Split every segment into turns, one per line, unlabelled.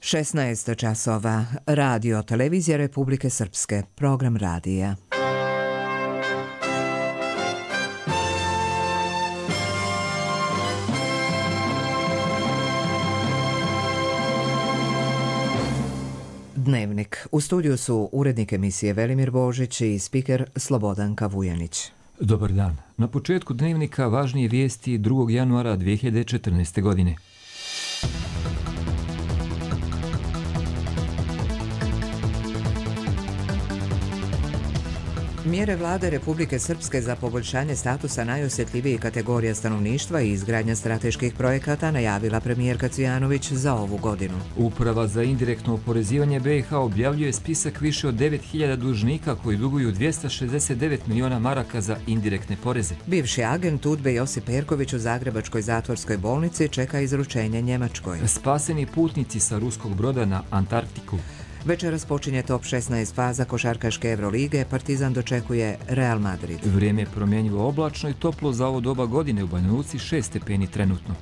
16 časova. Radio Televizija Republike Srpske. Program radija. Dnevnik. U studiju su urednik emisije Velimir Božić i spiker Slobodanka Vujanić.
Dobar dan. Na početku dnevnika važnije vijesti 2. januara 2014. godine.
Mjere vlade Republike Srpske za poboljšanje statusa najosjetljivijih kategorija stanovništva i izgradnja strateških projekata najavila premijerka Cvijanović za ovu godinu.
Uprava za indirektno oporezivanje BiH objavljuje spisak više od 9.000 dužnika koji duguju 269 miliona maraka za indirektne poreze.
Bivši agent UDBE Josip Perković u Zagrebačkoj zatvorskoj bolnici čeka izručenje Njemačkoj.
Spaseni putnici sa ruskog broda na Antarktiku.
Večeras počinje top 16 faza košarkaške Evrolige, Partizan dočekuje Real Madrid.
Vrijeme je promjenjivo oblačno i toplo za ovo doba godine, u Banja Luci 6 stepeni trenutno.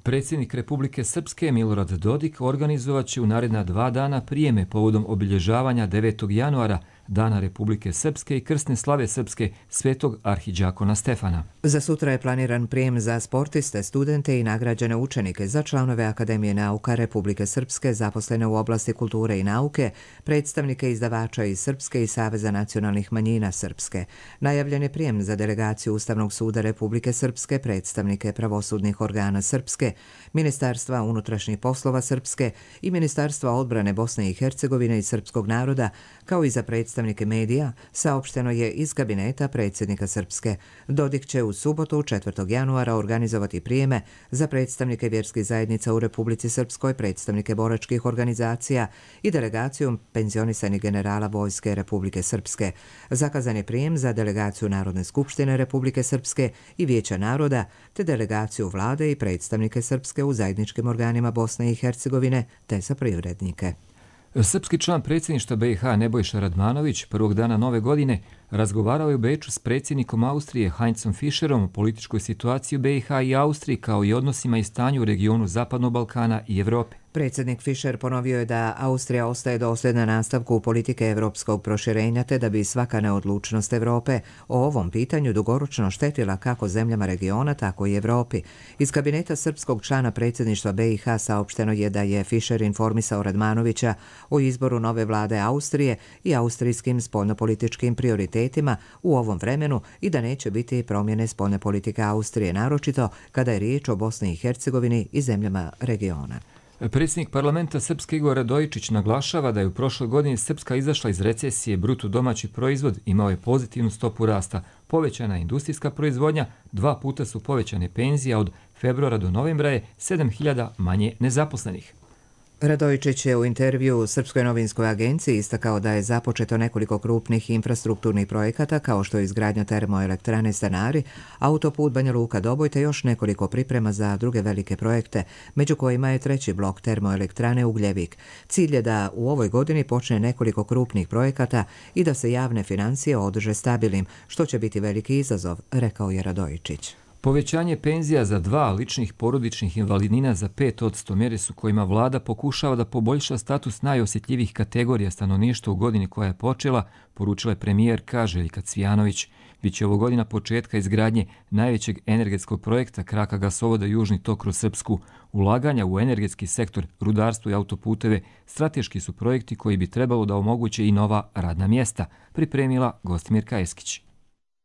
Predsjednik Republike Srpske Milorad Dodik organizovat će u naredna 2 dana prijeme povodom obilježavanja 9. januara, Dana Republike Srpske i krsne slave Srpske Svetog arhidžakona Stefana.
Za sutra je planiran prijem za sportiste, studente i nagrađene učenike, za članove Akademije nauka Republike Srpske zaposlene u oblasti kulture i nauke, predstavnike izdavača iz Srpske i Saveza nacionalnih manjina Srpske. Najavljen je prijem za delegaciju Ustavnog suda Republike Srpske, predstavnike pravosudnih organa Srpske, Ministarstva unutrašnjih poslova Srpske i Ministarstva odbrane Bosne i Hercegovine i srpskog naroda, kao i za predstavnike medija, saopšteno je iz kabineta predsjednika Srpske. Dodik će u subotu 4. januara organizovati prijeme za predstavnike vjerskih zajednica u Republici Srpskoj, predstavnike boračkih organizacija i delegaciju penzionisanih generala Vojske Republike Srpske. Zakazan je prijem za delegaciju Narodne skupštine Republike Srpske i Vijeća naroda, te delegaciju vlade i predstavnike Srpske u zajedničkim organima Bosne i Hercegovine, te za privrednike.
Srpski član predsjedništva BiH Nebojša Radmanović prvog dana nove godine razgovarao je u Beču s predsjednikom Austrije Heinzom Fischerom o političkoj situaciji u BiH i Austriji, kao i odnosima i stanju u regionu Zapadnog Balkana i Evrope.
Predsjednik Fischer ponovio je da Austrija ostaje dosljedna nastavku politike evropskog proširenja, te da bi svaka neodlučnost Evrope o ovom pitanju dugoročno štetila kako zemljama regiona, tako i Evropi. Iz kabineta srpskog člana predsjedništva BiH saopšteno je da je Fischer informisao Radmanovića o izboru nove vlade Austrije i austrijskim spoljnopolitičkim prioritetima u ovom vremenu i da neće biti promjene spoljne politike Austrije, naročito kada je riječ o Bosni i Hercegovini i zemljama regiona.
Predsjednik parlamenta Srpske Igor Radojičić naglašava da je u prošloj godini Srpska izašla iz recesije, bruto domaći proizvod imao je pozitivnu stopu rasta, povećana je industrijska proizvodnja, 2 puta su povećane penzije, a od februara do novembra je 7.000 manje nezaposlenih.
Radojičić je u intervju Srpskoj novinskoj agenciji istakao da je započeto nekoliko krupnih infrastrukturnih projekata kao što je izgradnja termoelektrane Stanari, autoput Banja Luka-Doboj te još nekoliko priprema za druge velike projekte, među kojima je 3. blok termoelektrane Ugljevik. Cilj je da u ovoj godini počne nekoliko krupnih projekata i da se javne financije održe stabilnim, što će biti veliki izazov, rekao je Radojičić.
Povećanje penzija za 2 ličnih porodičnih invalidnina za 5% mjere su kojima vlada pokušava da poboljša status najosjetljivijih kategorija stanovništva u godini koja je počela, poručila je premijerka Željka Cvijanović. Biće ovo godina početka izgradnje najvećeg energetskog projekta kraka gasovoda Južni tok kroz Srpsku. Ulaganja u energetski sektor, rudarstvo i autoputeve strateški su projekti koji bi trebalo da omoguće i nova radna mjesta, pripremila Gostimirka Eskić.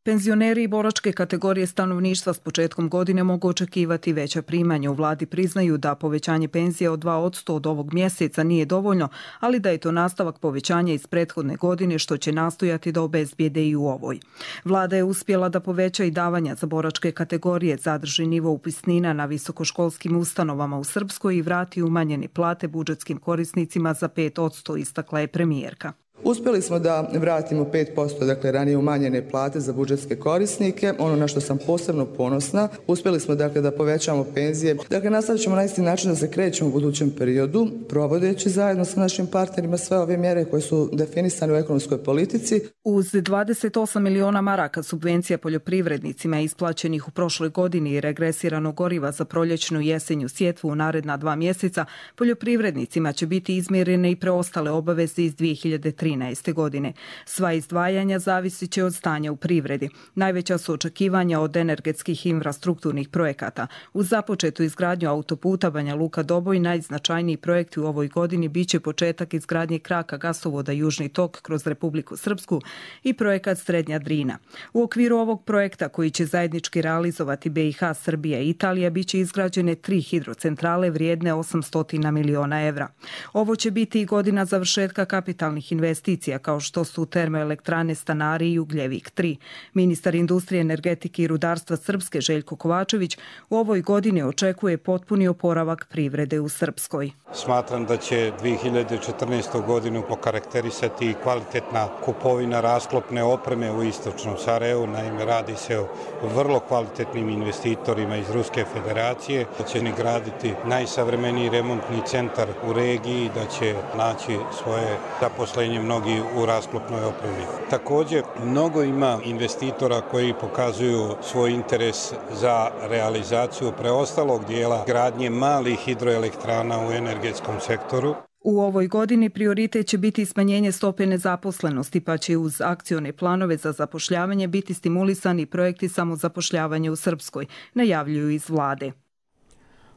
Penzioneri i boračke kategorije stanovništva s početkom godine mogu očekivati veća primanja. U vladi priznaju da povećanje penzije od 2% od ovog mjeseca nije dovoljno, ali da je to nastavak povećanja iz prethodne godine što će nastojati da obezbijede i u ovoj. Vlada je uspjela da poveća i davanja za boračke kategorije, zadrži nivo upisnina na visokoškolskim ustanovama u Srpskoj i vrati umanjene plate budžetskim korisnicima za 5%, istakla je premijerka.
Uspjeli smo da vratimo 5%, dakle ranije umanjene plate za budžetske korisnike. Ono na što sam posebno ponosna, uspjeli smo dakle da povećamo penzije. Dakle, nastavit ćemo na isti način da se krećemo u budućem periodu, provodeći zajedno sa našim partnerima sve ove mjere koje su definisane u ekonomskoj politici.
Uz 28 miliona maraka subvencija poljoprivrednicima isplaćenih u prošloj godini i regresiranog goriva za proljećnu i jesenju sjetvu u naredna 2 mjeseca, poljoprivrednicima će biti izmjerene i preostale obaveze iz 2013. godine. Sva izdvajanja zavisit će od stanja u privredi. Najveća su očekivanja od energetskih infrastrukturnih projekata. Uz započetu izgradnju autoputa Banja Luka-Doboj, najznačajniji projekti u ovoj godini biće početak izgradnje kraka gasovoda Južni tok kroz Republiku Srpsku i projekat Srednja Drina. U okviru ovog projekta, koji će zajednički realizovati BiH, Srbija i Italija, biće izgrađene 3 hidrocentrale vrijedne 800 miliona evra. Ovo će biti i godina završetka kapitalnih investicija kao što su termoelektrane Stanari i Ugljevik 3. Ministar industrije, energetike i rudarstva Srpske Željko Kovačević u ovoj godini očekuje potpuni oporavak privrede u Srpskoj.
Smatram da će 2014. godinu okarakterisati kvalitetna kupovina rasklopne opreme u istočnom Sarajevu. Naime, radi se o vrlo kvalitetnim investitorima iz Ruske federacije, da će ni graditi najsavremeniji remontni centar u regiji, da će naći svoje zaposlenje mnogi u rasklopnoj opremi. Također, mnogo ima investitora koji pokazuju svoj interes za realizaciju preostalog dijela gradnje malih hidroelektrana u energetskom sektoru.
U ovoj godini prioritet će biti smanjenje stope nezaposlenosti, pa će uz akcione planove za zapošljavanje biti stimulisani projekti samozapošljavanja u Srpskoj, najavljuju iz vlade.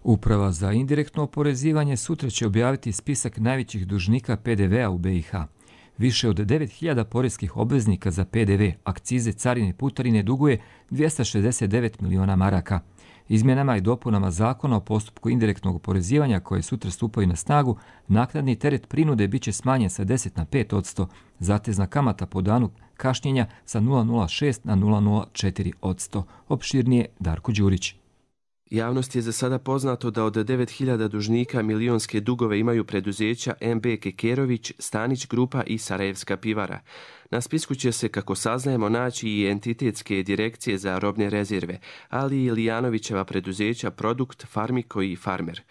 Uprava za indirektno oporezivanje sutra će objaviti spisak najvećih dužnika PDV-a u BiH. Više od 9.000 poreskih obveznika za PDV, akcize, carine i putarine duguje 269 miliona maraka. Izmjenama i dopunama zakona o postupku indirektnog oporezivanja koje sutra stupaju na snagu, naknadni teret prinude biće smanjen sa 10 na 5%, zatezna kamata po danu kašnjenja sa 0,06 na 0,04%. Opširnije Darko Đurić.
Javnost je za sada poznato da od 9.000 dužnika milionske dugove imaju preduzeća MB Kekerović, Stanić grupa i Sarajevska pivara. Na spisku će se, kako saznajemo, naći i entitetske direkcije za robne rezerve, ali i Lijanovićeva preduzeća Produkt, Farmiko i Farmer.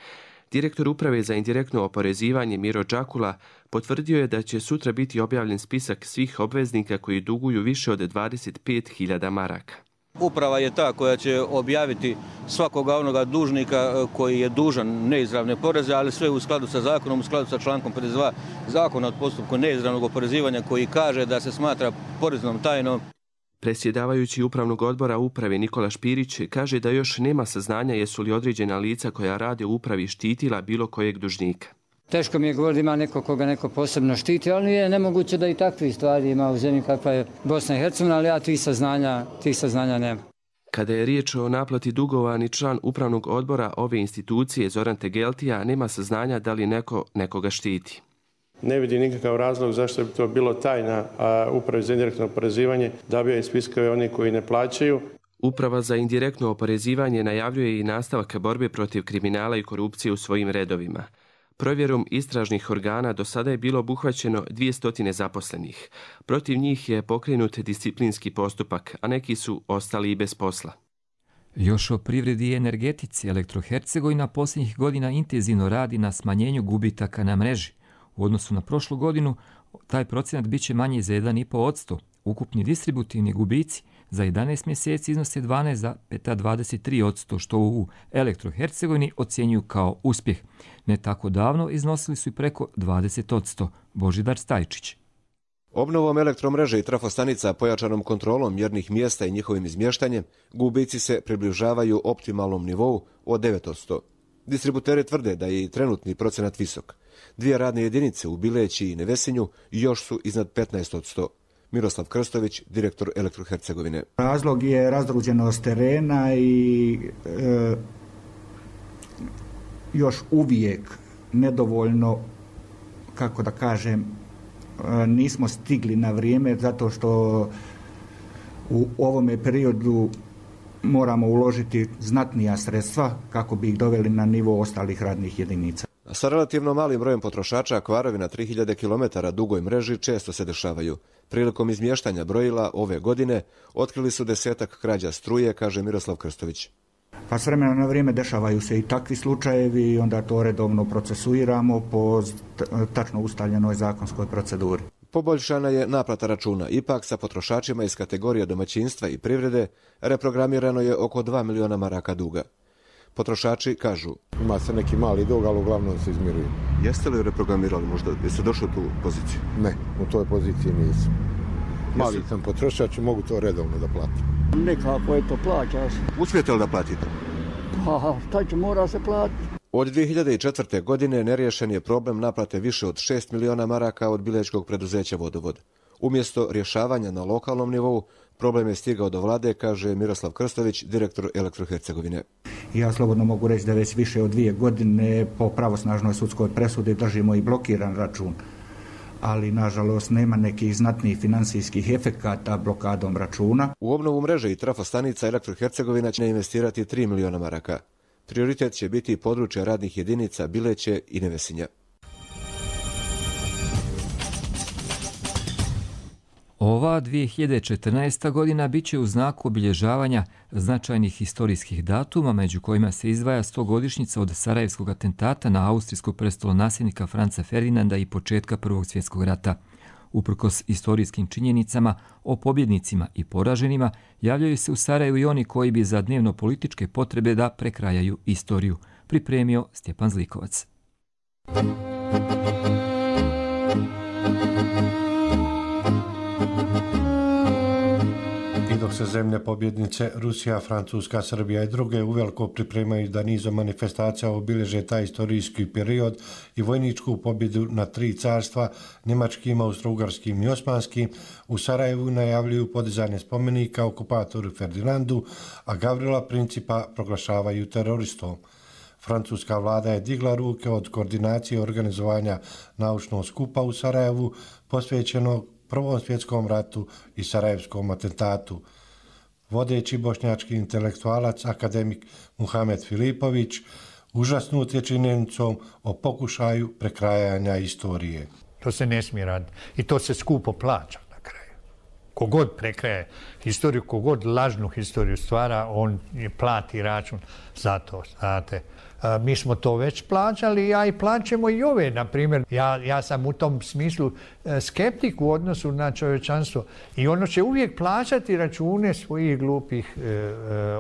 Direktor uprave za indirektno oporezivanje Miro Đakula potvrdio je da će sutra biti objavljen spisak svih obveznika koji duguju više od 25.000 maraka.
Uprava je ta koja će objaviti svakoga onoga dužnika koji je dužan neizravne poreze, ali sve u skladu sa zakonom, u skladu sa člankom 52 zakona o postupku neizravnog oporezivanja koji kaže da se smatra poreznom tajnom.
Predsjedavajući upravnog odbora uprave Nikola Špirić kaže da još nema saznanja jesu li određena lica koja rade u upravi štitila bilo kojeg dužnika.
Teško mi je govoriti ima neko koga neko posebno štiti, ali je nemoguće da i takvih stvari ima u zemlji kakva je Bosna i Hercegovina, ali ja tih saznanja nema.
Kada je riječ o naplati dugova, ni član upravnog odbora ove institucije Zoran Tegeltija nema saznanja da li neko nekoga štiti.
Ne vidi nikakav razlog zašto bi to bilo tajna, a upravi za indirektno oporezivanje dobija i spiskove oni koji ne plaćaju.
Uprava za indirektno oporezivanje najavljuje i nastavak borbe protiv kriminala i korupcije u svojim redovima. Provjerom istražnih organa do sada je bilo obuhvaćeno 200 zaposlenih. Protiv njih je pokrenut disciplinski postupak, a neki su ostali i bez posla.
Još o privredi i energetici, Elektrohercegovina posljednjih godina intenzivno radi na smanjenju gubitaka na mreži. U odnosu na prošlu godinu, taj procenat biće manji za 1,5%. Ukupni distributivni gubici za 11 mjeseci iznose 12,23%, što u Elektrohercegovini ocjenjuju kao uspjeh. Ne tako davno iznosili su i preko 20%. Božidar Stajčić.
Obnovom elektromreže i trafostanica, pojačanom kontrolom mjernih mjesta i njihovim izmještanjem, gubici se približavaju optimalnom nivou od 9%. Distributeri tvrde da je i trenutni procenat visok. 2 radne jedinice u Bileći i Nevesinju još su iznad 15%. Miroslav Krstović, direktor Elektrohercegovine.
Razlog je razdruženost terena i još uvijek nedovoljno, kako da kažem, nismo stigli na vrijeme zato što u ovome periodu moramo uložiti znatnija sredstva kako bi ih doveli na nivo ostalih radnih jedinica.
Sa relativno malim brojem potrošača, kvarovi na 3000 km dugoj mreži često se dešavaju. Prilikom izmještanja brojila ove godine otkrili su 10-ak krađa struje, kaže Miroslav Krstović.
Pa s vremena na vrijeme dešavaju se i takvi slučajevi i onda to redovno procesuiramo po tačno ustaljenoj zakonskoj proceduri.
Poboljšana je naplata računa. Ipak sa potrošačima iz kategorije domaćinstva i privrede reprogramirano je oko 2 miliona maraka duga. Potrošači kažu:
ima se neki mali dug, ali uglavnom se izmiruje.
Jeste li reprogramirali možda? Jeste došli u tu poziciju?
Ne, u toj poziciji nisam. Mali sam potrošač i mogu to redovno da platim.
Nekako je to plaća.
Uspijete li da platite?
Pa, taj će mora se platiti.
Od 2004. godine neriješen je problem naplate više od 6 miliona maraka od bilećkog preduzeća Vodovod. Umjesto rješavanja na lokalnom nivou, problem je stigao do vlade, kaže Miroslav Krstović, direktor Elektrohercegovine.
Ja slobodno mogu reći da već više od 2 godine po pravosnažnoj sudskoj presudi držimo i blokiran račun. Ali, nažalost, nema nekih znatnih financijskih efekata blokadom računa.
U obnovu mreže i trafostanica Elektrohercegovina će investirati 3 miliona maraka. Prioritet će biti područje radnih jedinica Bileće i Nevesinja.
Ova 2014. godina bit će u znaku obilježavanja značajnih historijskih datuma, među kojima se izdvaja 100-godišnjica od sarajevskog atentata na austrijskog prestolonasljednika Franca Ferdinanda i početka Prvog svjetskog rata. Uprkos istorijskim činjenicama o pobjednicima i poraženima, javljaju se u Sarajevu i oni koji bi za dnevno političke potrebe da prekrajaju istoriju, pripremio Stjepan Zlikovac.
I dok se zemlje pobjednice Rusija, Francuska, Srbija i druge uveliko pripremaju da nizom manifestacija obilježe taj istorijski period i vojničku pobjedu na 3 carstva, njemačkim, austrougarskim i osmanskim, u Sarajevu najavljuju podizanje spomenika okupatoru Ferdinandu, a Gavrila Principa proglašavaju teroristom. Francuska vlada je digla ruke od koordinacije organizovanja naučnog skupa u Sarajevu posvećenog Prvom svjetskom ratu i sarajevskom atentatu. Vodeći bošnjački intelektualac, akademik Muhamed Filipović, užasnut je činjenicom o pokušaju prekrajanja istorije.
To se ne smije raditi i to se skupo plaća na kraju. Kogod prekraje historiju, kogod lažnu historiju stvara, on plati račun za to, znate. Mi smo to već plaćali, a i plaćamo i ove, na primjer. Ja sam u tom smislu skeptik u odnosu na čovječanstvo i ono će uvijek plaćati račune svojih glupih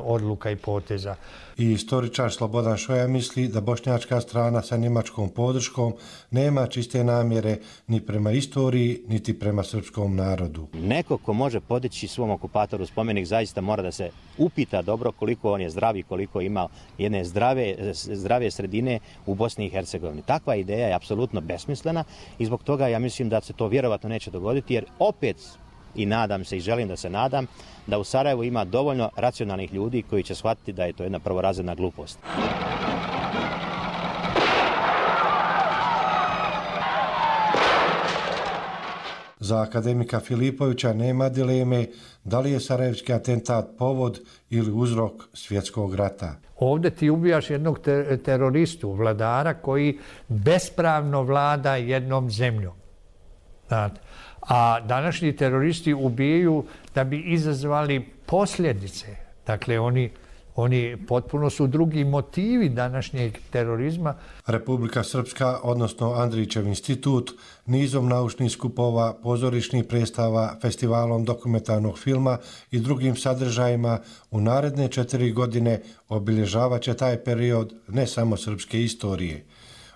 odluka i poteza.
I istoričar Slobodan Šoja misli da bošnjačka strana sa njemačkom podrškom nema čiste namjere ni prema istoriji, niti prema srpskom narodu.
Neko ko može podići svom okupatoru spomenik zaista mora da se upita dobro koliko on je zdrav i koliko ima jedne zdrave sredine u Bosni i Hercegovini. Takva ideja je apsolutno besmislena i zbog toga ja mislim da se to vjerovatno neće dogoditi, jer opet, i nadam se i želim da se nadam, da u Sarajevu ima dovoljno racionalnih ljudi koji će shvatiti da je to jedna prvorazredna glupost.
Za akademika Filipovića nema dileme da li je sarajevski atentat povod ili uzrok svjetskog rata.
Ovdje ti ubijaš jednog teroristu, vladara koji bespravno vlada jednom zemljom. Znate. A današnji teroristi ubijaju da bi izazvali posljedice. Dakle, oni potpuno su drugi motivi današnjeg terorizma.
Republika Srpska, odnosno Andrićev institut, nizom naučnih skupova, pozorišnih predstava, festivalom dokumentarnog filma i drugim sadržajima u naredne 4 godine obilježavat će taj period ne samo srpske istorije.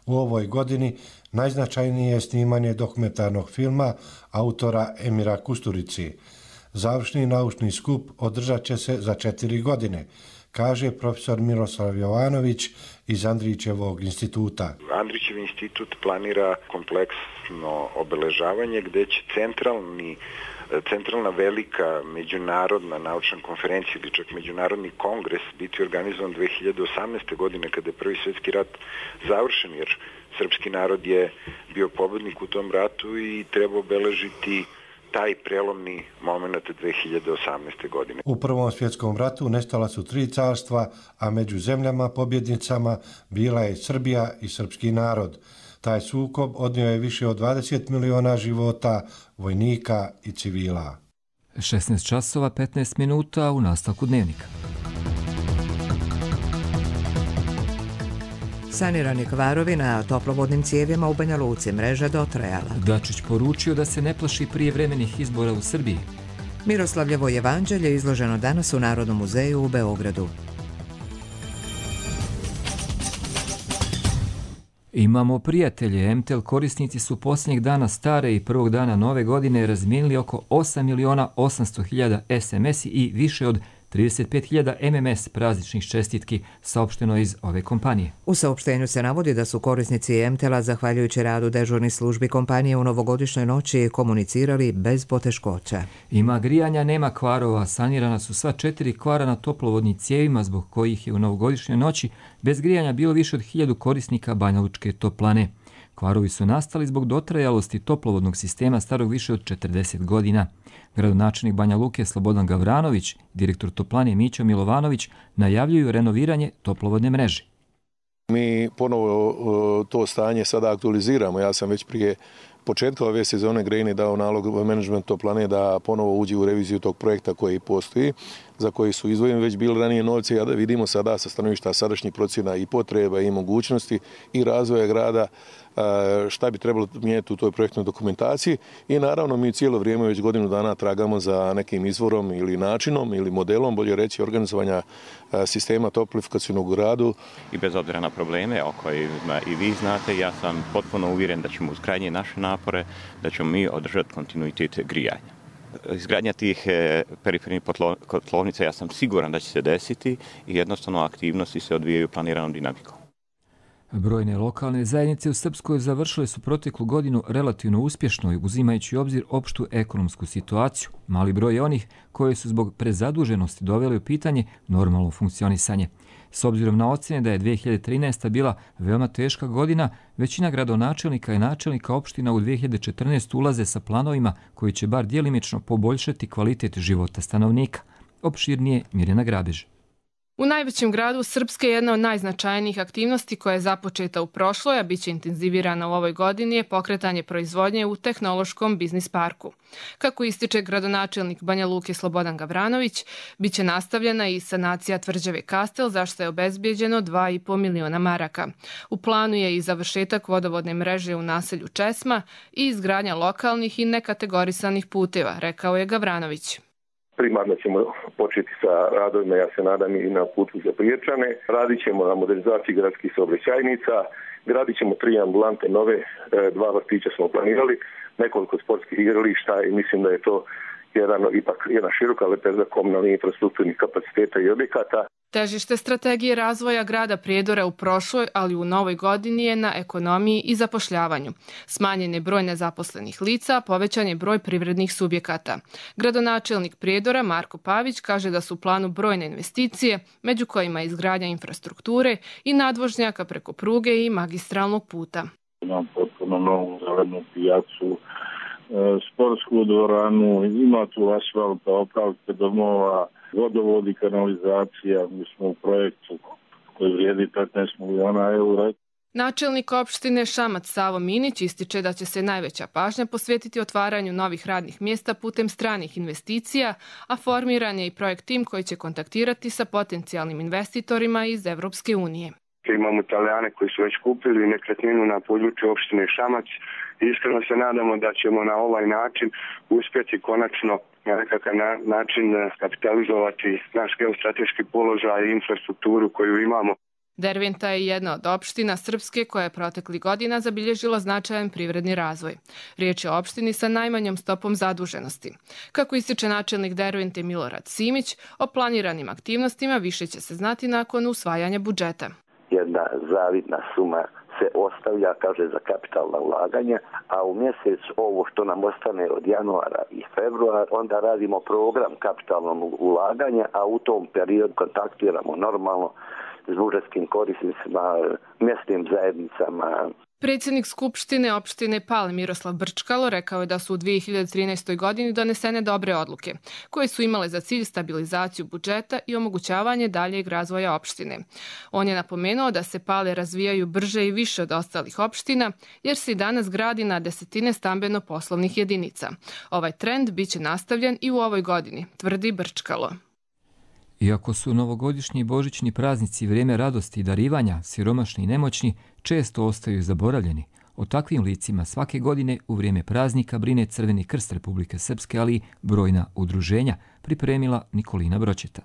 U ovoj godini najznačajnije je snimanje dokumentarnog filma autora Emira Kusturici. Završni naučni skup održat će se za 4 godine, kaže profesor Miroslav Jovanović iz Andrićevog instituta.
Andrićev institut planira kompleksno obeležavanje gdje će centralna velika međunarodna naučna konferencija ili čak međunarodni kongres biti organizovan 2018. godine kada je Prvi svjetski rat završen, jer srpski narod je bio pobednik u tom ratu i treba obeležiti taj prelomni moment 2018. godine.
U Prvom svjetskom ratu nestala su 3 carstva, a među zemljama pobjednicama bila je Srbija i srpski narod. Taj sukob odnio je više od 20 miliona života, vojnika i civila.
16 časova 15 minuta u nastavku dnevnika.
Sanirani kvarovi na toplovodnim cijevima u Banja Luci, mreža dotrajala.
Dačić poručio da se ne plaši prijevremenih izbora u Srbiji.
Miroslavljevo evanđelje izloženo danas u Narodnom muzeju u Beogradu.
Imamo prijatelje. MTEL korisnici su posljednjeg dana stare i prvog dana nove godine razmijenili oko 8.800.000 SMS i više od 35.000 MMS prazničnih čestitki, saopšteno iz ove kompanije.
U saopštenju se navodi da su korisnici MTEL-a, zahvaljujući radu dežurnih službi kompanije u novogodišnjoj noći, komunicirali bez poteškoća.
Ima grijanja, nema kvarova. Sanirana su sva 4 kvara na toplovodnim cijevima, zbog kojih je u novogodišnjoj noći bez grijanja bilo više od 1000 korisnika Banjalučke toplane. Kvarovi su nastali zbog dotrajalosti toplovodnog sistema starog više od 40 godina. Gradonačelnik Banja Luke Slobodan Gavranović, direktor toplane Mićo Milovanović najavljuju renoviranje toplovodne mreže.
Mi ponovo to stanje sada aktualiziramo. Ja sam već prije početka ove sezone grejne dao nalog menadžment toplane da ponovo uđe u reviziju tog projekta koji postoji, za koji su izdvojeni već bili ranije novci, a da vidimo sada sa stanovišta sadašnjih procjena i potreba i mogućnosti i razvoja grada šta bi trebalo mijenjati u toj projektnoj dokumentaciji i naravno mi cijelo vrijeme već godinu dana tragamo za nekim izvorom ili načinom ili modelom, bolje reći, organizovanja sistema toplifikacijnog u gradu.
I bez obzira na probleme o kojima i vi znate, ja sam potpuno uvjeren da ćemo uz krajnje naše napore, da ćemo mi održati kontinuitet grijanja. Izgradnja tih perifernih kotlovnica, ja sam siguran da će se desiti i jednostavno aktivnosti se odvijaju planiranom dinamikom.
Brojne lokalne zajednice u Srpskoj završile su proteklu godinu relativno uspješno, uzimajući u obzir opštu ekonomsku situaciju. Mali broj je onih koje su zbog prezaduženosti doveli u pitanje normalno funkcionisanje. S obzirom na ocjene da je 2013. bila veoma teška godina, većina gradonačelnika i načelnika opština u 2014. ulaze sa planovima koji će bar djelimično poboljšati kvalitet života stanovnika. Opširnije Mirjana Grabež.
U najvećem gradu Srpske jedna od najznačajnijih aktivnosti koja je započeta u prošloj, a bit će intenzivirana u ovoj godini, je pokretanje proizvodnje u tehnološkom biznis parku. Kako ističe gradonačelnik Banja Luke Slobodan Gavranović, bit će nastavljena i sanacija tvrđave Kastel, za što je obezbijeđeno 2,5 miliona maraka. U planu je i završetak vodovodne mreže u naselju Česma i izgradnja lokalnih i nekategorisanih puteva, rekao je Gavranović.
Primarno ćemo početi sa radovima, ja se nadam, i na putu za Priječane. Radit ćemo na modernizaciji gradskih saobraćajnica, gradit ćemo 3 ambulante nove, 2 vrtića smo planirali, nekoliko sportskih igrališta i mislim da je to jedna široka lepeza komunalnih infrastrukturnih kapaciteta i objekata.
Težište strategije razvoja grada Prijedora u prošloj, ali u novoj godini je na ekonomiji i zapošljavanju. Smanjen je broj nezaposlenih lica, povećan je broj privrednih subjekata. Gradonačelnik Prijedora Marko Pavić kaže da su u planu brojne investicije, među kojima izgradnja infrastrukture i nadvožnjaka preko pruge i magistralnog puta.
Imam potpuno novu zelenu pijacu, sportsku dvoranu, ima tu asfalta, opravke domova, vodovod i kanalizacija. Mi smo u projektu koji vrijedi 15 miliona eura.
Načelnik opštine Šamac Savo Minić ističe da će se najveća pažnja posvetiti otvaranju novih radnih mjesta putem stranih investicija, a formiran je i projekt tim koji će kontaktirati sa potencijalnim investitorima iz Evropske unije.
Imamo Italijane koji su već kupili nekretninu na području opštine Šamac. Iskreno se nadamo da ćemo na ovaj način uspjeti konačno na nekakav način kapitalizovati naš geostrateški položaj i infrastrukturu koju imamo.
Derventa je jedna od opština Srpske koja je protekli godina zabilježila značajan privredni razvoj. Riječ je o opštini sa najmanjom stopom zaduženosti. Kako ističe načelnik Dervente Milorad Simić, o planiranim aktivnostima više će se znati nakon usvajanja budžeta.
Jedna zavidna suma se ostavlja, kaže, za kapitalna ulaganja, a u mjesec ovo što nam ostane od januara i februara, onda radimo program kapitalnog ulaganja, a u tom periodu kontaktiramo normalno s budžetskim korisnicima, mjesnim zajednicama,
Predsjednik Skupštine opštine Pale Miroslav Brčkalo rekao je da su u 2013. godini donesene dobre odluke, koje su imale za cilj stabilizaciju budžeta i omogućavanje daljeg razvoja opštine. On je napomenuo da se Pale razvijaju brže i više od ostalih opština, jer se i danas gradi na desetine stambeno-poslovnih jedinica. Ovaj trend biće nastavljen i u ovoj godini, tvrdi Brčkalo.
Iako su novogodišnji i božićni praznici vrijeme radosti i darivanja, siromašni i nemoćni često ostaju zaboravljeni. O takvim licima svake godine u vrijeme praznika brine Crveni krst Republike Srpske, ali i brojna udruženja, pripremila Nikolina Bročeta.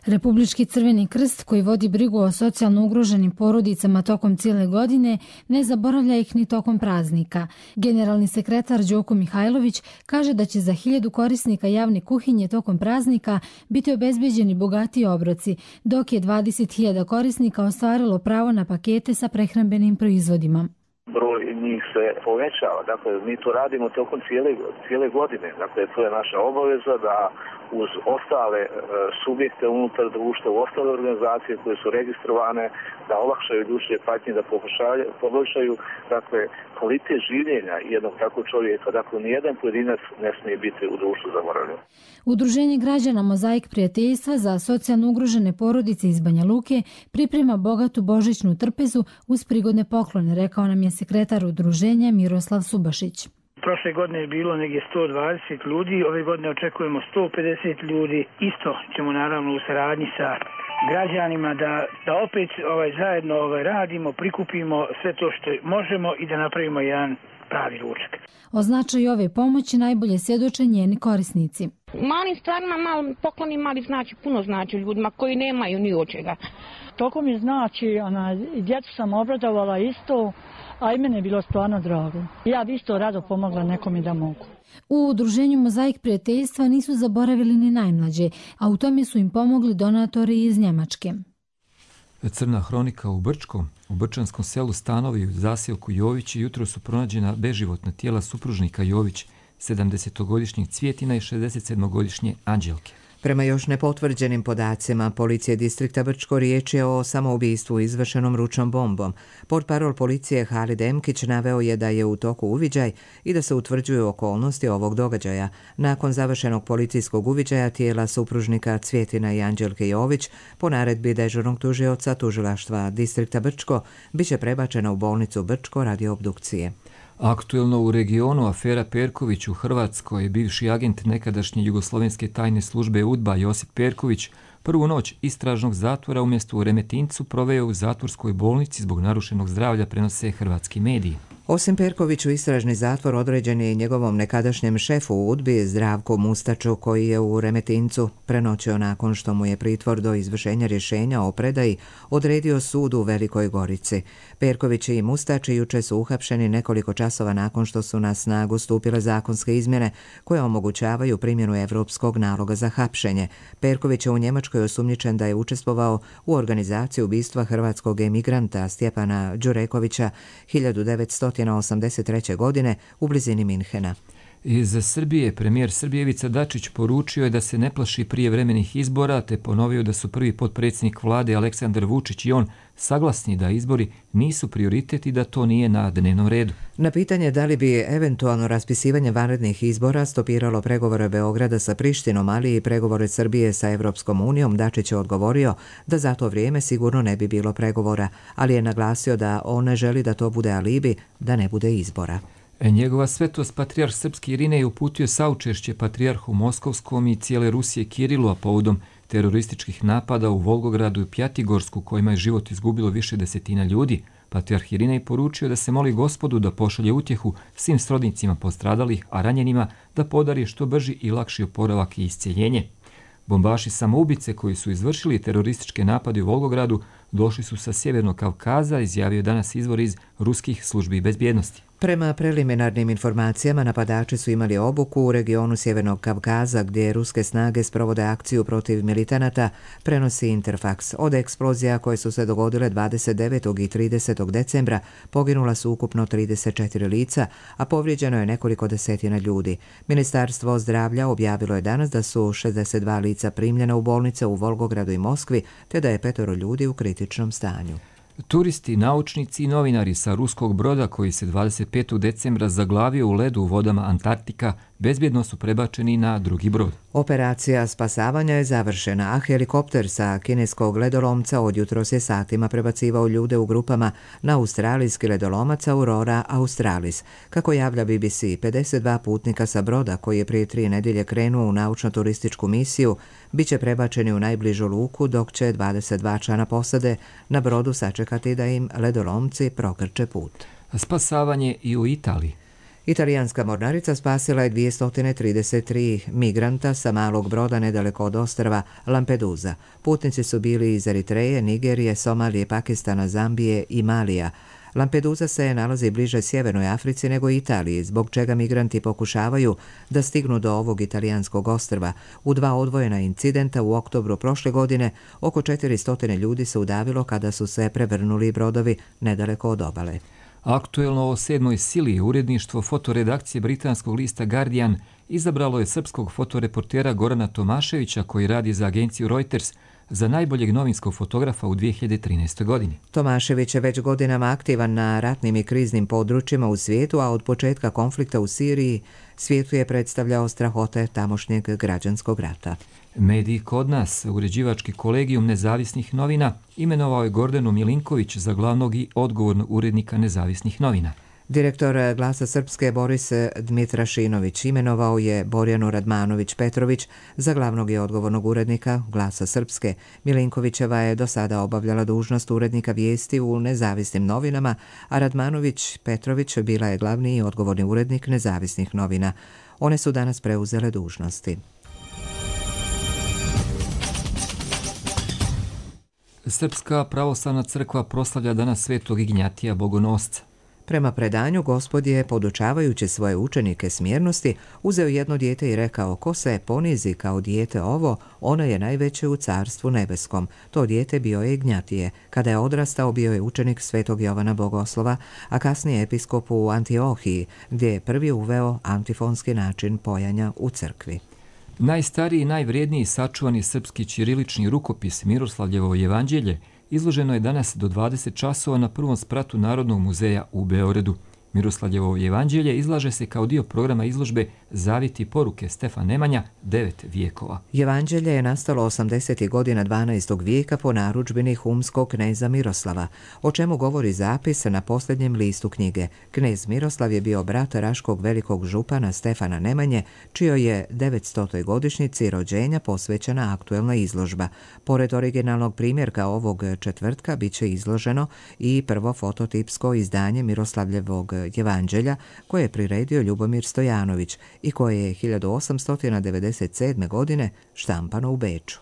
Republički Crveni krst, koji vodi brigu o socijalno ugroženim porodicama tokom cijele godine, ne zaboravlja ih ni tokom praznika. Generalni sekretar Đoko Mihajlović kaže da će za 1000 korisnika javne kuhinje tokom praznika biti obezbeđeni bogatiji obroci, dok je 20.000 korisnika ostvarilo pravo na pakete sa prehrambenim proizvodima.
Broj njih se povećava, dakle mi to radimo tokom cijele godine, dakle to je naša obaveza da uz ostale subjekte unutar društva, u ostale organizacije koje su registrovane, da olakšaju ljudske patnje, da poboljšaju dakle, kvalitet življenja jednog takvog čovjeka. Dakle, nijedan pojedinac ne smije biti u društvu zaboravljen.
Udruženje građana Mozaik prijateljstva za socijalno ugrožene porodice iz Banja Luke priprema bogatu božićnu trpezu uz prigodne poklone, rekao nam je sekretar udruženja Miroslav Subašić.
Prošle godine je bilo negdje 120 ljudi, ove godine očekujemo 150 ljudi. Isto ćemo naravno u saradnji sa građanima da opet zajedno radimo, prikupimo sve to što možemo i da napravimo jedan pravi ručak.
O značaju ove pomoći najbolje svjedoče njeni korisnici.
Malim stvarima, pokloni mali puno znači ljudima koji nemaju ni od čega.
Toliko mi znači, djecu sam obradovala isto, a i mene je bilo stvarno drago. Ja bi isto rado pomogla nekom i da mogu.
U udruženju Mozaik prijateljstva nisu zaboravili ni najmlađe, a u tome su im pomogli donatori iz Njemačke.
Crna hronika u Brčkom. U brčanskom selu Stanovi u zaseoku Jović jutro su pronađena beživotna tijela supružnika Jović, 70-godišnjeg Cvjetina i 67-godišnje Anđelke.
Prema još nepotvrđenim podacima policije distrikta Brčko riječ je o samoubistvu izvršenom ručnom bombom. Portparol policije Halid Emkić naveo je da je u toku uviđaj i da se utvrđuju okolnosti ovog događaja. Nakon završenog policijskog uviđaja tijela supružnika Cvjetina i Anđelke Jović po naredbi dežurnog tužioca tužilaštva distrikta Brčko biće prebačena u bolnicu Brčko radi obdukcije.
Aktuelno u regionu afera Perković u Hrvatskoj, bivši agent nekadašnje jugoslovenske tajne službe UDBA Josip Perković prvu noć istražnog zatvora umjesto u Remetincu proveo u zatvorskoj bolnici zbog narušenog zdravlja, prenose hrvatski mediji.
Osim Perkoviću, istražni zatvor određen je i njegovom nekadašnjem šefu u UDBI Zdravku Mustaču, koji je u Remetincu prenoćio nakon što mu je pritvor do izvršenja rješenja o predaji odredio sud u Velikoj Gorici. Perković i Mustač juče su uhapšeni nekoliko časova nakon što su na snagu stupile zakonske izmjene koje omogućavaju primjenu evropskog naloga za hapšenje. Perković je u Njemačkoj osumnjičen da je učestvovao u organizaciji ubistva hrvatskog emigranta Stjepana Đurekovića 1983. godine u blizini Minhena.
Iz Srbije premijer Srbije Ivica Dačić poručio je da se ne plaši prijevremenih izbora, te ponovio da su prvi potpredsjednik vlade Aleksandar Vučić i on saglasni da izbori nisu prioritet i da to nije na dnevnom redu.
Na pitanje da li bi eventualno raspisivanje vanrednih izbora stopiralo pregovore Beograda sa Prištinom, ali i pregovore Srbije sa Evropskom unijom, Dačić je odgovorio da za to vrijeme sigurno ne bi bilo pregovora, ali je naglasio da on ne želi da to bude alibi, da ne bude izbora.
Njegova svetost patrijarh srpski Irinej uputio saučešće patrijarhu Moskovskom i cijele Rusije Kirilu, a povodom terorističkih napada u Volgogradu i Pjatigorsku, kojima je život izgubilo više desetina ljudi. Patrijarh Irinej poručio da se moli Gospodu da pošalje utjehu svim srodnicima postradalih, a ranjenima da podari što brži i lakši oporavak i iscijeljenje. Bombaši samoubice koji su izvršili terorističke napade u Volgogradu došli su sa Sjevernog Kavkaza, izjavio danas izvor iz ruskih službi bezbjednosti.
Prema preliminarnim informacijama, napadači su imali obuku u regionu Sjevernog Kavkaza, gdje ruske snage sprovode akciju protiv militanata, prenosi Interfax. Od eksplozija koje su se dogodile 29. i 30. decembra poginula su ukupno 34 lica, a povrijeđeno je nekoliko desetina ljudi. Ministarstvo zdravlja objavilo je danas da su 62 lica primljena u bolnice u Volgogradu i Moskvi, te da je 5 ljudi u kritičnom stanju.
Turisti, naučnici i novinari sa ruskog broda koji se 25. decembra zaglavio u ledu u vodama Antarktika bezbjedno su prebačeni na drugi brod.
Operacija spasavanja je završena, a helikopter sa kineskog ledolomca od jutros je satima prebacivao ljude u grupama na australijski ledolomac Aurora Australis. Kako javlja BBC, 52 putnika sa broda koji je prije 3 nedjelje krenuo u naučno-turističku misiju bit će prebačeni u najbližu luku, dok će 22 člana posade na brodu sačekati da im ledolomci prokrče put.
Spasavanje i u Italiji.
Italijanska mornarica spasila je 233 migranta sa malog broda nedaleko od ostrva Lampedusa. Putnici su bili iz Eritreje, Nigerije, Somalije, Pakistana, Zambije i Malija. Lampedusa se nalazi bliže Sjevernoj Africi nego Italiji, zbog čega migranti pokušavaju da stignu do ovog italijanskog ostrva. U 2 odvojena incidenta u oktobru prošle godine oko 400 ljudi se udavilo kada su se prevrnuli brodovi nedaleko od obale.
Aktuelno o 7. sili uredništvo fotoredakcije britanskog lista Guardian izabralo je srpskog fotoreportera Gorana Tomaševića, koji radi za agenciju Reuters, za najboljeg novinskog fotografa u 2013. godini.
Tomašević je već godinama aktivan na ratnim i kriznim područjima u svijetu, a od početka konflikta u Siriji svijetu je predstavljao strahote tamošnjeg građanskog rata.
Mediji kod nas, uređivački kolegijum nezavisnih novina, imenovao je Gordanu Milinković za glavnog i odgovornog urednika nezavisnih novina.
Direktor Glasa Srpske Boris Dmitrašinović imenovao je Borjanu Radmanović-Petrović za glavnog i odgovornog urednika Glasa Srpske. Milinkovićeva je do sada obavljala dužnost urednika vijesti u nezavisnim novinama, a Radmanović-Petrović bila je glavni i odgovorni urednik nezavisnih novina. One su danas preuzele dužnosti.
Srpska pravoslavna crkva proslavlja danas Svetog Ignjatija Bogonosca.
Prema predanju, Gospod je, podučavajući svoje učenike smjernosti, uzeo jedno dijete i rekao: ko se ponizi kao dijete ovo, ono je najveće u carstvu nebeskom. To dijete bio je Ignjatije. Kada je odrastao, bio je učenik Svetog Jovana Bogoslova, a kasnije episkop u Antiohiji, gdje je prvi uveo antifonski način pojanja u crkvi.
Najstariji i najvrijedniji sačuvani srpski ćirilični rukopis Miroslavljevo evanđelje izloženo je danas do 20 časova na prvom spratu Narodnog muzeja u Beogradu. Miroslavljevo evanđelje izlaže se kao dio programa izložbe Zavjeti i poruke Stefan Nemanja 9 vijekova.
Evanđelje je nastalo 80. godina 12. vijeka po narudžbini humskog kneza Miroslava, o čemu govori zapis na posljednjem listu knjige. Knez Miroslav je bio brat raškog velikog župana Stefana Nemanje, čijoj je 900. godišnjici rođenja posvećena aktuelna izložba. Pored originalnog primjerka ovog četvrtka bit će izloženo i prvo fototipsko izdanje Miroslavljevog evanđelja koje je priredio Ljubomir Stojanović i koje je 1897. godine štampano u Beču.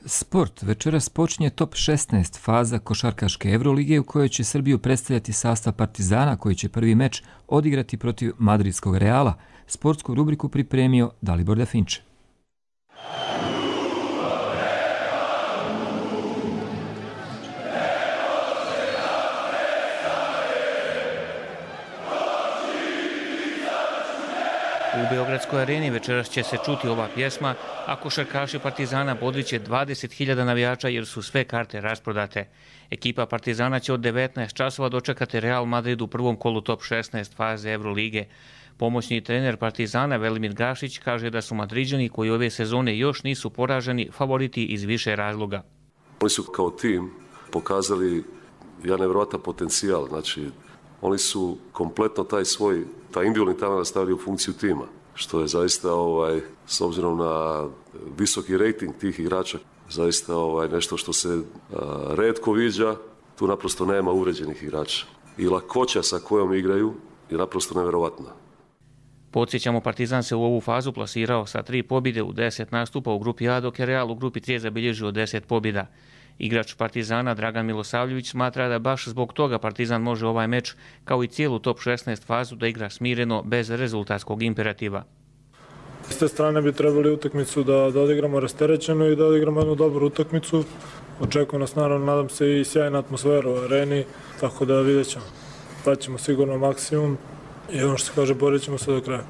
Sport. Večeras počinje top 16 faza košarkaške Evrolige u kojoj će Srbiju predstavljati sastav Partizana, koji će prvi meč odigrati protiv madridskog Reala. Sportsku rubriku pripremio Dalibor Definče.
U Beogradskoj areni večeras će se čuti ova pjesma, a košarkaši Partizana bodriće 20.000 navijača jer su sve karte rasprodate. Ekipa Partizana će od 19 časova dočekati Real Madrid u prvom kolu top 16 faze Evrolige. Pomoćni trener Partizana Velimir Gašić kaže da su Madriđani, koji ove sezone još nisu poraženi, favoriti iz više razloga.
Oni su kao tim pokazali jedan nevjerojatan potencijal, znači oni su kompletno taj individualni talent stavili u funkciju tima, što je zaista s obzirom na visoki rating tih igrača zaista nešto što se retko viđa. Tu naprosto nema uređenih igrača i lakoća sa kojom igraju je naprosto nevjerovatna.
Podsjećamo, Partizan se u ovu fazu plasirao sa 3 pobjede u 10 nastupa u grupi A, dok je Real u grupi C zabilježio 10 pobjeda. Igrač Partizana Dragan Milosavljević smatra da baš zbog toga Partizan može ovaj meč, kao i cijelu top 16 fazu, da igra smireno, bez rezultatskog imperativa.
S te strane bi trebali utakmicu da odigramo rasterećeno i da odigramo jednu dobru utakmicu. Očekujem nas, naravno, nadam se, i sjajna atmosfera u areni, tako da vidjet ćemo. Daćemo sigurno maksimum i ono što se kaže, borit ćemo se do kraja.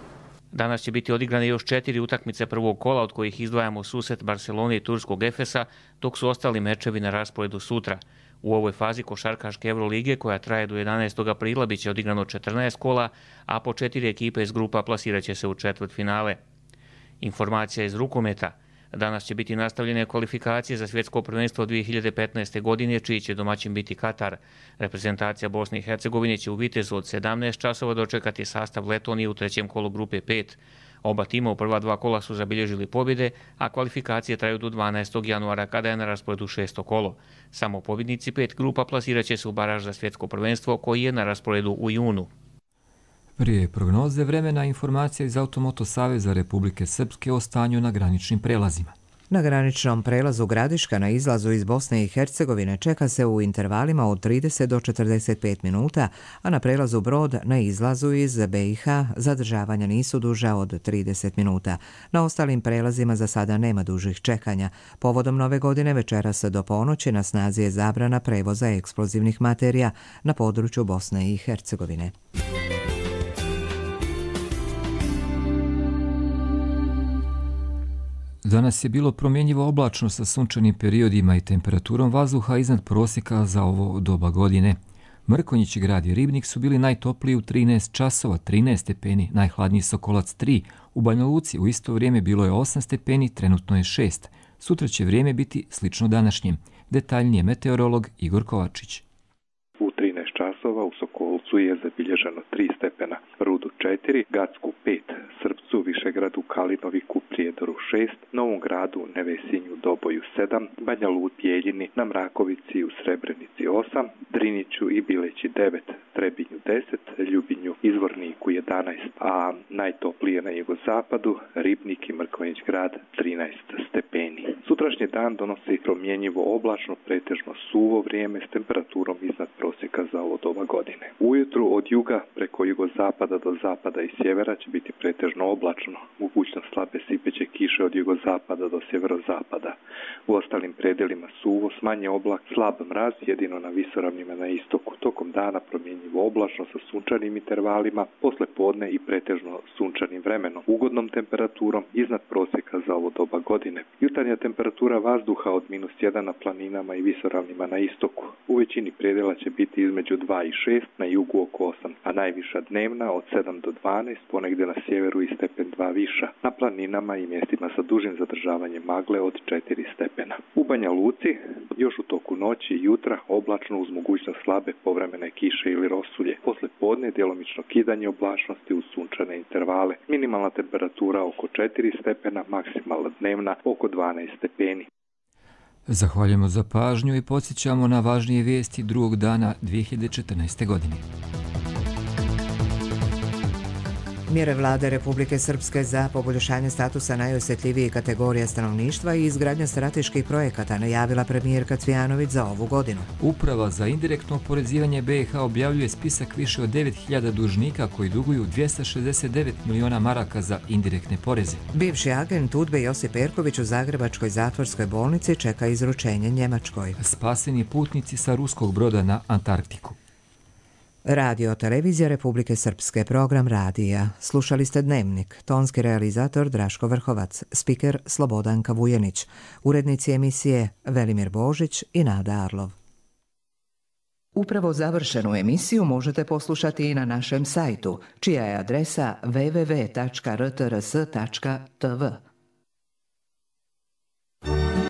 Danas će biti odigrane još 4 utakmice prvog kola, od kojih izdvajamo susret Barcelone i turskog Efesa, dok su ostali mečevi na rasporedu sutra. U ovoj fazi košarkaške Evrolige, koja traje do 11. aprila, bit će odigrano 14 kola, a po 4 ekipe iz grupa plasirat će se u četvrtfinale. Informacija iz rukometa. Danas će biti nastavljene kvalifikacije za svjetsko prvenstvo 2015. godine, čiji će domaćin biti Katar. Reprezentacija Bosne i Hercegovine će u Vitezu od 17 časova dočekati sastav Letonije u trećem kolu grupe 5. Oba tima u prva 2 kola su zabilježili pobjede, a kvalifikacije traju do 12. januara, kada je na rasporedu 6. kolo. Samo pobjednici 5 grupa plasirat će se u baraž za svjetsko prvenstvo, koji je na rasporedu u junu.
Prije prognoze vremena, informacija iz Automoto Saveza Republike Srpske o stanju na graničnim prelazima.
Na graničnom prelazu Gradiška na izlazu iz Bosne i Hercegovine čeka se u intervalima od 30 do 45 minuta, a na prelazu Brod na izlazu iz BiH zadržavanja nisu duža od 30 minuta. Na ostalim prelazima za sada nema dužih čekanja. Povodom Nove godine večeras do ponoći na snazi je zabrana prevoza eksplozivnih materija na području Bosne i Hercegovine.
Danas je bilo promjenjivo oblačno sa sunčanim periodima i temperaturom vazduha iznad prosjeka za ovo doba godine. Mrkonjić, Grad i Ribnik su bili najtopliji u 13 časova, 13 stepeni, najhladniji Sokolac 3. U Banja Luci u isto vrijeme bilo je 8 stepeni, trenutno je 6. Sutra će vrijeme biti slično današnjem. Detaljnije meteorolog Igor Kovačić.
U 13 časova u Sokolcu je zabilježeno 3 stepena, Rudu 4, Gacku 5, Srpcu, Višegradu, Kalinoviku, Prijedoru 6, Novom Gradu, Nevesinju, Doboju 7, Banja Luci, Bijeljini, na Mrakovici u Srebrenici 8, Driniću i Bileći 9, Trebinju 10, Ljubinju, Izvorniku 11, a najtoplije na jugozapadu, Ribnik i Mrkonjić Grad 13 stepeni. Sutrašnji dan donosi promjenjivo oblačno, pretežno suvo vrijeme s temperaturom iznad prosjeka za ovo doba godine. Ujutru od juga preko jugozapada do zapada i sjevera će biti pretežno oblačno, mogućnost slabe sipeće kiše od jugozapada do sjeverozapada. U ostalim predelima suvo, smanje oblak, slab mraz, jedino na visoravnima na istoku. Tokom dana promjenjivo oblačno sa sunčanim intervalima, posle podne i pretežno sunčanim vremenom, ugodnom temperaturom iznad prosjeka za ovo doba godine. Jutarnja temperatura vazduha od -1 na planinama i visoravnima na istoku. U većini predela će biti između 2 i 6, na jugu oko 8, a najviša dnevna od 7 do 12, ponegdje na sjeveru i stepen 2 viša. Na planinama i mjestima sa dužim zadržavanjem magle od 4 stepena. U Banja Luci još u toku noći i jutra oblačno uz mogućnost slabe povremene kiše ili rosulje. Posle podne djelomično kidanje oblačnosti uz sunčane intervale. Minimalna temperatura oko 4 stepena, maksimalna dnevna oko 12 stepeni.
Zahvaljujemo za pažnju i podsjećamo na važnije vijesti drugog dana 2014. godine.
Mjere vlade Republike Srpske za poboljšanje statusa najosjetljivijih kategorija stanovništva i izgradnja strateških projekata najavila premijerka Cvijanović za ovu godinu.
Uprava za indirektno oporezivanje BiH objavljuje spisak više od 9.000 dužnika koji duguju 269 miliona maraka za indirektne poreze.
Bivši agent UDBE Josip Perković u Zagrebačkoj zatvorskoj bolnici čeka izručenje Njemačkoj.
Spaseni putnici sa ruskog broda na Antarktiku.
Radio televizija Republike Srpske, program radija. Slušali ste Dnevnik, tonski realizator Draško Vrhovac, spiker Slobodanka Vujenić, urednici emisije Velimir Božić i Nada Arlov. Upravo završenu emisiju možete poslušati i na našem sajtu, čija je adresa www.rtrs.tv.